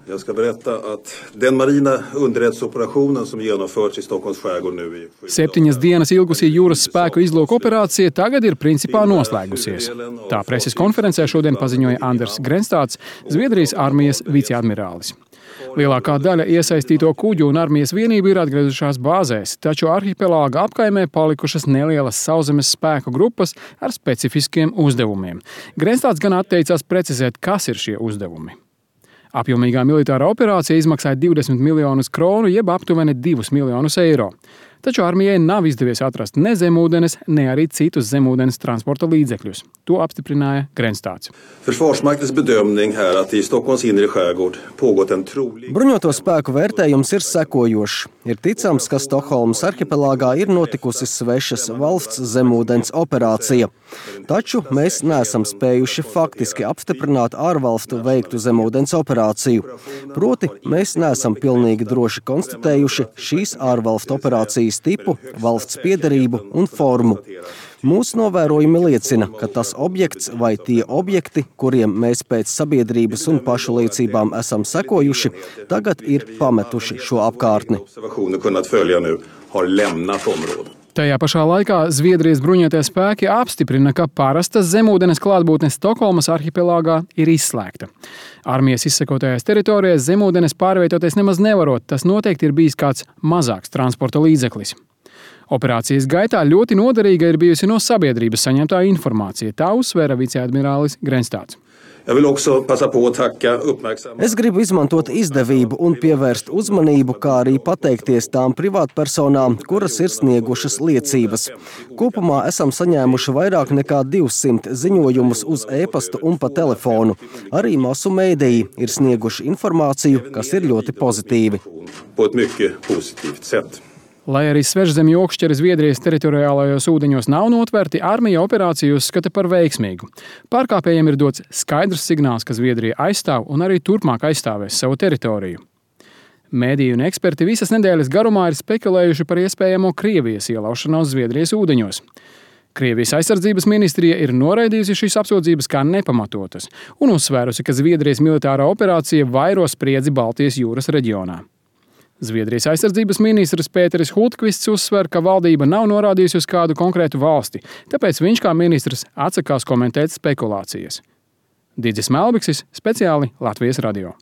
Jag ska berätta att den marina underrättelseoperationen som genomförts i Stockholms skärgård nu i 7 dienas ilgusī jūras spēku izlūku operācija tagad ir principā noslēgusies. Tā preses konferencē šodien paziņoja Anders Grenstāds, Zviedrijas armijas viceadmirālis. Lielākā daļa iesaistīto kuģu un armijas vienību ir atgriezušās bāzēs, taču arhipelāga apkaimē palikušas nelielas sauszemes spēku grupas ar specifiskiem uzdevumiem. Grenstāds gan atteicās precizēt, kas ir šie uzdevumi. Apjomīgā militārā operācija izmaksāja 20 miljonus kronu, jeb aptuveni 2 miljonus eiro. Taču armijai nav izdevies atrast ne zemūdenes, ne arī citus zemūdens transporta līdzekļus. To apstiprināja Grenstāds. Försvarsmaktens bedömning här att i Stockholms inre skärgård pågått en trolig... Bruņoto spēku vērtējums ir sekojošs. Ir ticams, ka Stokholmas arhipelāgā ir notikusi svešas valsts zemūdens operācija. Taču mēs neesam spējuši faktiski apstiprināt ārvalstu veiktu zemūdens operāciju. Proti, mēs neesam pilnīgi droši konstatējuši šīs ārvalstu operācijas tipu, valsts piederību un formu. Mūsu novērojumi liecina, ka tas objekts vai tie objekti, kuriem mēs pēc sabiedrības un pašu liecībām esam sekojuši, tagad ir pametuši šo apkārtni. Tajā pašā laikā Zviedrijas bruņotie spēki apstiprina, ka parastas zemūdenes klātbūtne Stokholmas arhipelāgā ir izslēgta. Armijas izsekotajās teritorijās zemūdenes pārvietoties nemaz nevarot, tas noteikti ir bijis kāds mazāks transporta līdzeklis. Operācijas gaitā ļoti noderīga ir bijusi no sabiedrības saņemtā informācija, tā uzsvēra viceadmirālis Grenstāds. Es gribu izmantot izdevību un pievērst uzmanību, kā arī pateikties tām privātpersonām, kuras ir sniegušas liecības. Kopumā esam saņēmuši vairāk nekā 200 ziņojumus uz e-pastu un pa telefonu. Arī masu mēdīji ir snieguši informāciju, kas ir ļoti pozitīvi. Lai arī svešzemju okšķeri Zviedrijas teritoriālajos ūdeņos nav notverti, armija operāciju uzskata par veiksmīgu. Pārkāpējiem ir dots skaidrs signāls, ka Zviedrija aizstāv un arī turpmāk aizstāvēs savu teritoriju. Mēdīji un eksperti visas nedēļas garumā ir spekulējuši par iespējamo Krievijas ielaušanos Zviedrijas ūdeņos. Krievijas aizsardzības ministrija ir noraidījusi šīs apsūdzības kā nepamatotas un uzsvērusi, ka Zviedrijas militārā operācija vairo spriedzi Baltijas jūras reģionā. Zviedrijas aizsardzības ministrs Pēteris Hultkvists uzsver, ka valdība nav norādījusi uz kādu konkrētu valsti, tāpēc viņš kā ministrs atsakās komentēt spekulācijas. Digis Melbiksis, speciāli Latvijas radio.